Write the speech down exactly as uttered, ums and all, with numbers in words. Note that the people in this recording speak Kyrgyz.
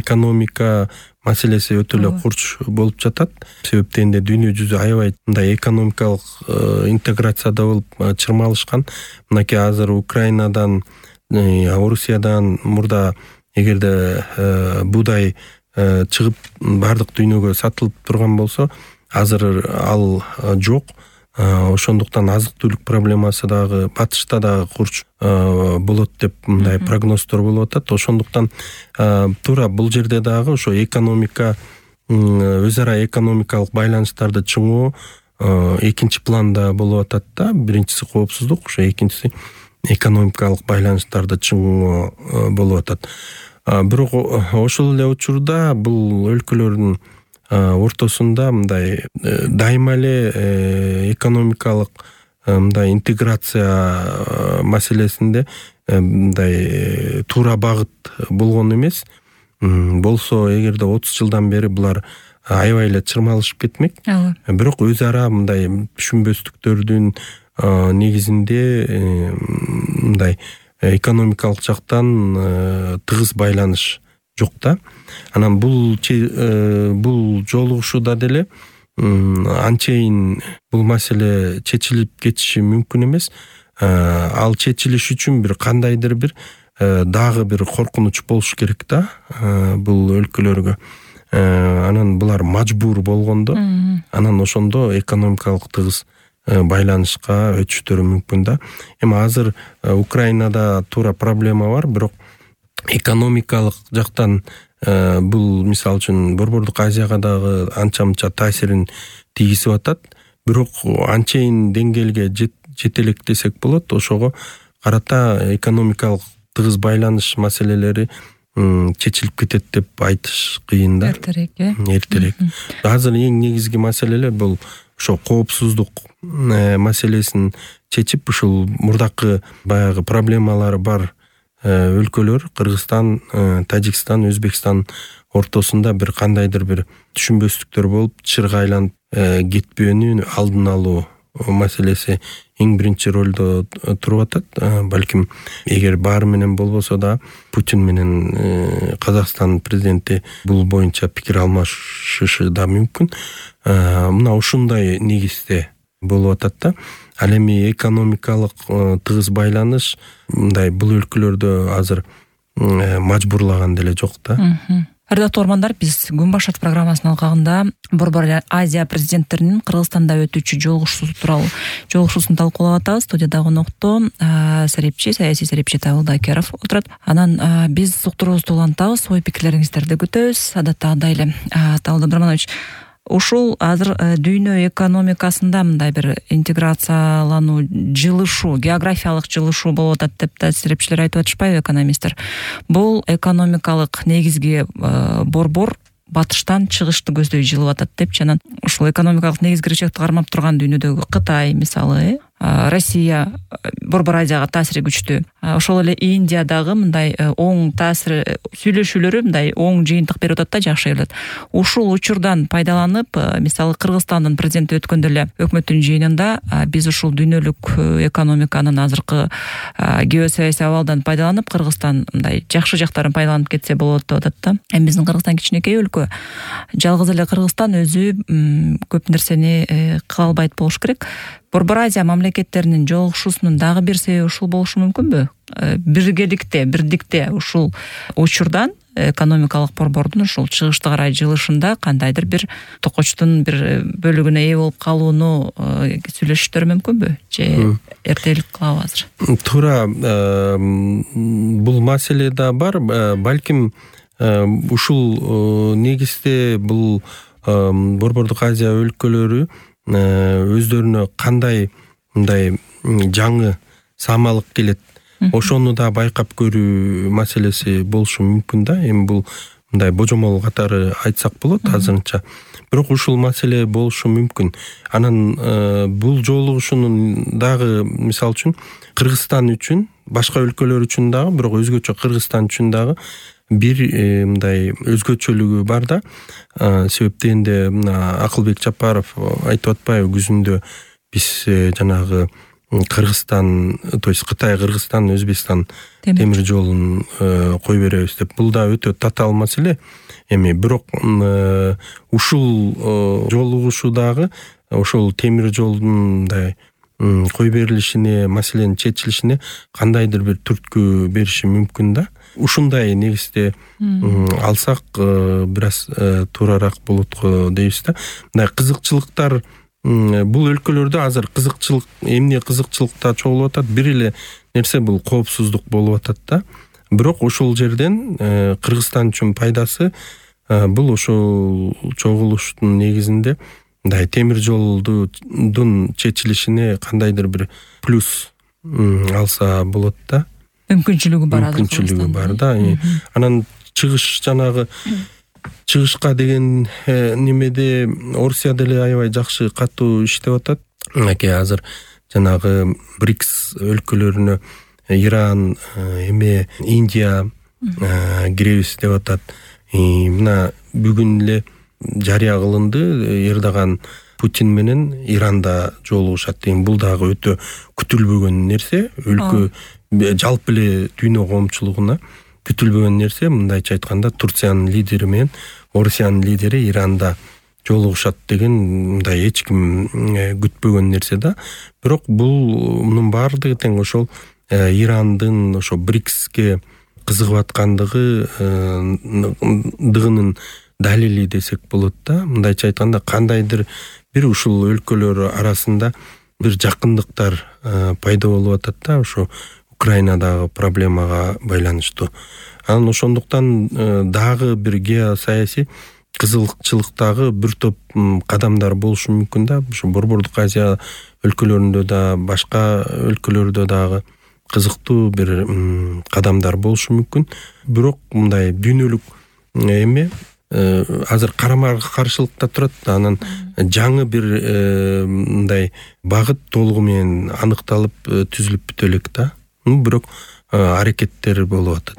экономика маселеси өтө эле курч болуп жатат. Себептен де дүйнө жүзү аябай мындай экономикалык интеграцияда болуп чырмалышкан. Мынакей азыр Украинадан, Орусиядан мурда эгерде буудай чыгып бардык дүйнөгө сатылып турган болсо, азыр ал жок. Ошондуктан азык түлүк проблемасы дагы батышта дагы курч болот деп мындай прогноздор болуп атат. Ошондуктан туура бул жерде дагы ошо экономика, өз ара экономикалык байланыштарды чыңоо экинчи планда болуп атат да. Биринчиси коопсуздук, ошо экинчиси экономикалык байланыштарды чыңоо болуп атат. Бирок ошол эле учурда бул өлкөлөрдүн ортосунда мындай дайыма эле экономикалык мындай интеграция маселесинде мындай туура багыт болгон эмес. Болсо эгерде отуз жылдан бери булар аябай эле чырмалышып кетмек. Бирок өз ара мындай түшүнбөстүктөрдүн негизинде мындай экономикалык жактан тыгыз байланыш жок да. Анан бул бул жолугушууда деле анчейин бул маселе чечилип кетиши мүмкүн эмес. Ал чечилиш үчүн бир кандайдыр бир дагы бир коркунуч болуш керек да бул өлкөлөргө. Анан булар мажбур болгондо, анан ошондо экономикалык тыгыз байланышка өтүштөрү мүмкүн да. Эми азыр Украинада туура проблема бар, бирок экономикалык жактан бул мисалы үчүн Борбордук Азияга дагы анча-мынча таасирин тийгизип атат. Бирок анчейин деңгээлге жете элек десек болот. Ошого карата экономикалык тыгыз байланыш маселелери чечилип кетет деп айтыш кыйын да. Эртерээк, э? Эртерээк. Азыр эң негизги маселелер бул ошо коопсуздук маселесин чечип, ушул мурдакы баягы проблемалары бар өлкөлөр Кыргызстан, Тажикстан, Өзбекстан ортосунда бир кандайдыр бир түшүнбөстүктөр болуп чырга айланып кетпөөнүн алдын алуу маселеси эң биринчи ролдо туруп атат. Балким эгер баары менен болбосо да Путин менен Казакстан президенти бул боюнча пикир алмашышы да мүмкүн. Мына ушундай негизде болуп атат да. Ал эми экономикалык тыгыз байланыш мындай бул өлкөлөрдө азыр мажбурлаган деле жок да. Ардактуу угармандар, биз Күн башат программасынын алкагында Борбор Азия президенттеринин Кыргызстанда өтүүчү жолугушуусу тууралуу жолугушуусун талкуулап атабыз. Студияда конокто Сарипчи, саясий Сарипчи Табылда Акеров отурат. Анан биз уктуруубузду улантабыз, ой пикирлериңиздерди күтөбүз. Адаттагыдай эле Табылда Абдрахманович, ушул азыр дүйнө экономикасында мындай бир интеграциялануу, жылышуу, географиялык жылышуу болуп атат деп да серепчилер айтып атышпайбы, экономисттер? Бул экономикалык негизги борбор батыштан чыгышты көздөй жылып атат депчи. Анан ушул экономикалык негизги кирчекти кармап турган дүйнөдөгү Кытай мисалы, Россия Борбор Азияга таасири күчтүү. Ошол эле Индия дагы мындай оң таасир сүйлөшүүлөрү мындай оң жыйынтык берип атат да, жакшы келет. Ушул учурдан пайдаланып, мисалы Кыргызстандын президенти өткөндө эле өкмөттүн жыйынында биз ушул дүйнөлүк экономиканын азыркы геосаясий абалдан пайдаланып, Кыргызстан мындай жакшы жактарын пайдаланып кетсе болот деп атат да. Эми биздин Кыргызстан кичинекей өлкө. Жалгыз эле Кыргызстан өзү көп нерсени кыла албайт болуш керек. Борбор Азия мамлекеттеринин жолугушуусунун дагы бир себеби ушул болушу мүмкүнбү? Биргеликте, бирдикте ушул учурдан экономикалык борбордун ушул чыгышты карай жылышында кандайдыр бир токочтун бир бөлүгүнө ээ болуп калууну сүйлөшүштөр мүмкүнбү? Же эртелик кылабы азыр? Туура, бул маселе да бар. Балким ушул негизде бул Борбордук Азия өлкөлөрү өздөрүнө кандай мындай жаңы саамалык келет, ошону да байкап көрүү маселеси болушу мүмкүн да. Эми бул мындай божомол катары айтсак болот азырынча. Бирок ушул маселе болушу мүмкүн. Анан бул жолугушуунун дагы мисалы үчүн Кыргызстан үчүн, башка өлкөлөр үчүн дагы, бирок өзгөчө Кыргызстан үчүн дагы бир мындай өзгөчөлүгү бар да. Себептен де Акылбек Жапаров айтып атпайбы, күзүндө биз жанагы Кыргызстан, то есть Кытай, Кыргызстан, Өзбекстан темир жолун кое беребиз деп. Бул да өтө татаал маселе. Эми бирок ушул жолугушуудагы ошол темир жолдун мындай кое берилишине, маселенин чечилишине кандайдыр бир түрткү бериши мүмкүн да. Ушундай негизде алсак бир аз туурараак болот го дейбиз да. Мындай кызыкчылыктар бул өлкөлөрдө азыр кызыкчылык, эмне кызыкчылыкта чогулуп атат? Бир эле нерсе бул коопсуздук болуп атат да. Бирок ошол жерден Кыргызстан үчүн пайдасы бул ошол чогулуштун негизинде мындай темир жолдун чечилишине кандайдыр бир плюс алса болот да. Мүмкүнчүлүгү бар азыр. Мүмкүнчүлүгү бар да. Анан чыгыш жанагы чыгышка деген немеде Орусия деле аябай жакшы катуу иштеп атат. Мынакей азыр жанагы БРИКС өлкөлөрүнө Иран, эме Индия киребиз деп атат. Мына бүгүн эле жарыя кылынды, Эрдоган Путин менен Иранда жолугушат деген. Бул дагы өтө күтүлбөгөн нерсе. Өлкө жалпы эле дүйнө коомчулугуна күтүлбөгөн нерсе. Мындайча айтканда Турциянын лидери менен Орусиянын лидери Иранда жолугушат деген мындай эч ким күтпөгөн нерсе да. Бирок бул мунун баардыгы тең ошол Ирандын ошо БРИКСке кызыгып аткандыгы дыгынын далили десек болот да. Мындайча айтканда кандайдыр бир ушул өлкөлөр арасында бир жакындыктар пайда болуп атат да, ошо Украинадагы проблемага байланыштуу. Анан ошондуктан дагы бир геосаясий кызыкчылыктагы бир топ кадамдар болушу мүмкүн да. Ошо Борбордук Азия өлкөлөрүндө да, башка өлкөлөрдө дагы кызыктуу бир кадамдар болушу мүмкүн. Бирок мындай дүйнөлүк эме азыр карама каршылыкта турат. Анан жаңы бир мындай багыт толугу менен аныкталып түзүлүп бүтө элек да. Бирок аракеттер болуп атат.